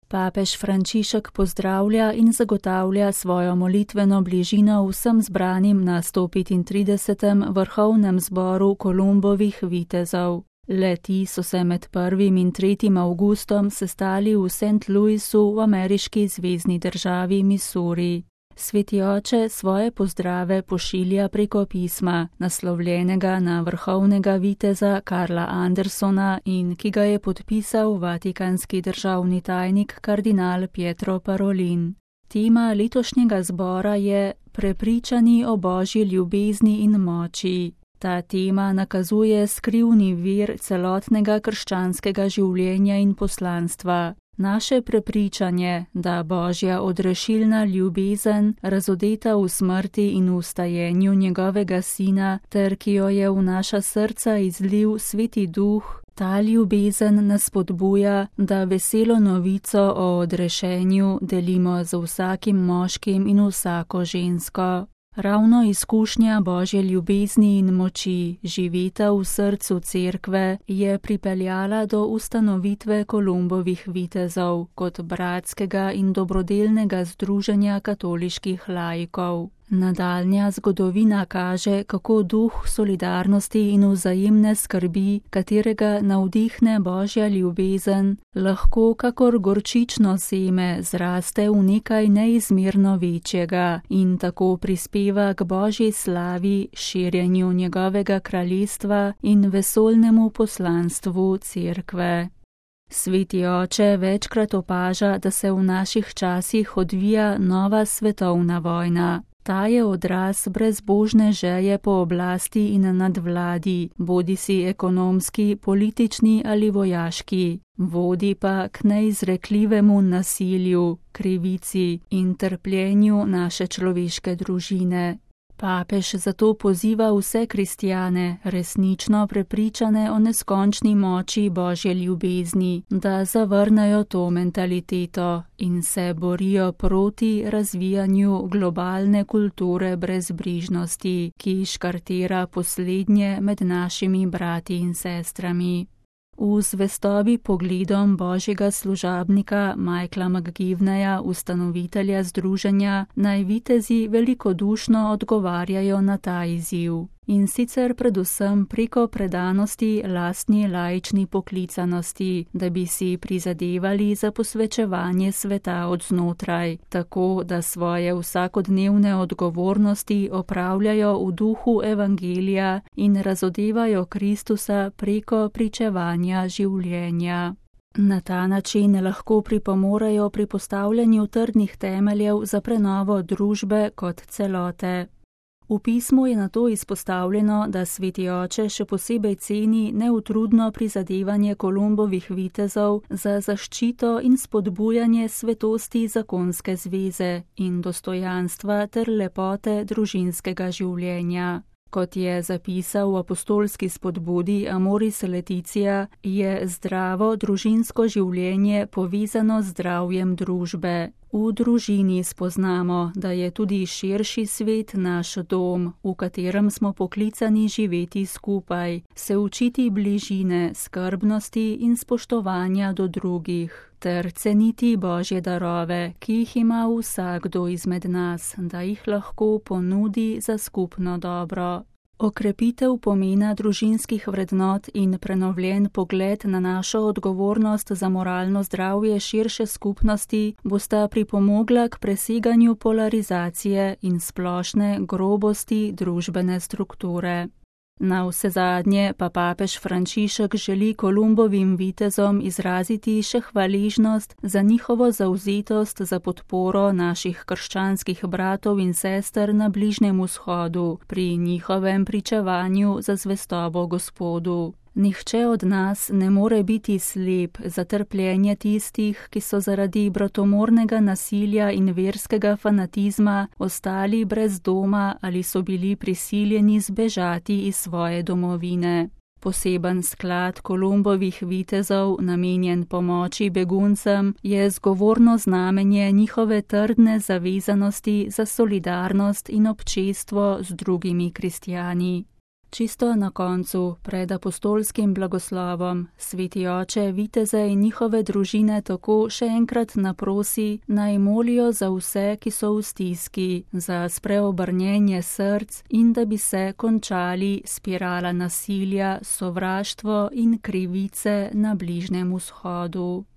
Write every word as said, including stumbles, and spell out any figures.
Papež Frančišek pozdravlja in zagotavlja svojo molitveno bližino vsem zbranim na sto petintridesetem vrhovnem zboru Kolumbovih vitezov. Le-ti so se med prvim in tretjim avgustom sestali v Saint Louisu v ameriški zvezni državi Missouri. Sveti oče svoje pozdrave pošilja preko pisma, naslovljenega na vrhovnega viteza Karla Andersona in ki ga je podpisal vatikanski državni tajnik kardinal Pietro Parolin. Tema letošnjega zbora je Prepričani o Božji ljubezni in moči. Ta tema nakazuje skrivni vir celotnega krščanskega življenja in poslanstva. Naše prepričanje, da Božja odrešilna ljubezen, razodeta v smrti in v vstajenju njegovega sina, ter ki jo je v naša srca izlil Sveti Duh, ta ljubezen nas spodbuja, da veselo novico o odrešenju delimo z vsakim moškim in vsako žensko. Ravno izkušnja Božje ljubezni in moči, živeta v srcu cerkve, je pripeljala do ustanovitve Kolumbovih vitezov kot bratskega in dobrodelnega združenja katoliških laikov. Nadaljnja zgodovina kaže, kako duh solidarnosti in vzajemne skrbi, katerega navdihne Božja ljubezen, lahko kakor gorčično seme zraste v nekaj neizmerno večjega in tako prispeva k Božji slavi, širjenju njegovega kraljestva in vesoljnemu poslanstvu cerkve. Sveti oče večkrat opaža, da se v naših časih odvija nova svetovna vojna. Ta je odraz brezbožne želje po oblasti in nadvladi, bodisi ekonomski, politični ali vojaški, vodi pa k neizrekljivemu nasilju, krivici in trpljenju naše človeške družine. Papež zato poziva vse kristjane, resnično prepričane o neskončni moči Božje ljubezni, da zavrnejo to mentaliteto in se borijo proti razvijanju globalne kulture brezbrižnosti, ki škartira poslednje med našimi brati in sestrami. V zvestobi pogledom Božjega služabnika Michaela McGivneya, ustanovitelja združenja, naj vitezi velikodušno odgovarjajo na ta izziv. In sicer predvsem preko predanosti lastni laični poklicanosti, da bi si prizadevali za posvečevanje sveta od znotraj, tako da svoje vsakodnevne odgovornosti opravljajo v duhu evangelija in razodevajo Kristusa preko pričevanja življenja. Na ta način lahko pripomorejo pri postavljanju trdnih temeljev za prenovo družbe kot celote. V pismu je nato izpostavljeno, da Sveti oče še posebej ceni neutrudno prizadevanje Kolumbovih vitezov za zaščito in spodbujanje svetosti zakonske zveze in dostojanstva ter lepote družinskega življenja. Kot je zapisal v apostolski spodbudi Amoris Laetitia, je zdravo družinsko življenje povezano z zdravjem družbe. V družini spoznamo, da je tudi širši svet naš dom, v katerem smo poklicani živeti skupaj, se učiti bližine, skrbnosti in spoštovanja do drugih, ter ceniti Božje darove, ki jih ima vsakdo izmed nas, da jih lahko ponudi za skupno dobro. Okrepitev pomena družinskih vrednot in prenovljen pogled na našo odgovornost za moralno zdravje širše skupnosti bosta pripomogla k preseganju polarizacije in splošne grobosti družbene strukture. Na vsezadnje pa papež Frančišek želi Kolumbovim vitezom izraziti še hvaležnost za njihovo zavzetost za podporo naših krščanskih bratov in sester na Bližnjem vzhodu pri njihovem pričevanju za zvestobo Gospodu. Nihče od nas ne more biti slep za trpljenje tistih, ki so zaradi bratomornega nasilja in verskega fanatizma ostali brez doma ali so bili prisiljeni zbežati iz svoje domovine. Poseben sklad Kolumbovih vitezov, namenjen pomoči beguncem, je zgovorno znamenje njihove trdne zavezanosti za solidarnost in občestvo z drugimi kristjani. Čisto na koncu, pred apostolskim blagoslovom, sveti oče viteze in njihove družine tako še enkrat naprosi, naj molijo za vse, ki so v stiski, za spreobrnjenje src in da bi se končali spirala nasilja, sovraštvo in krivice na Bližnjem vzhodu.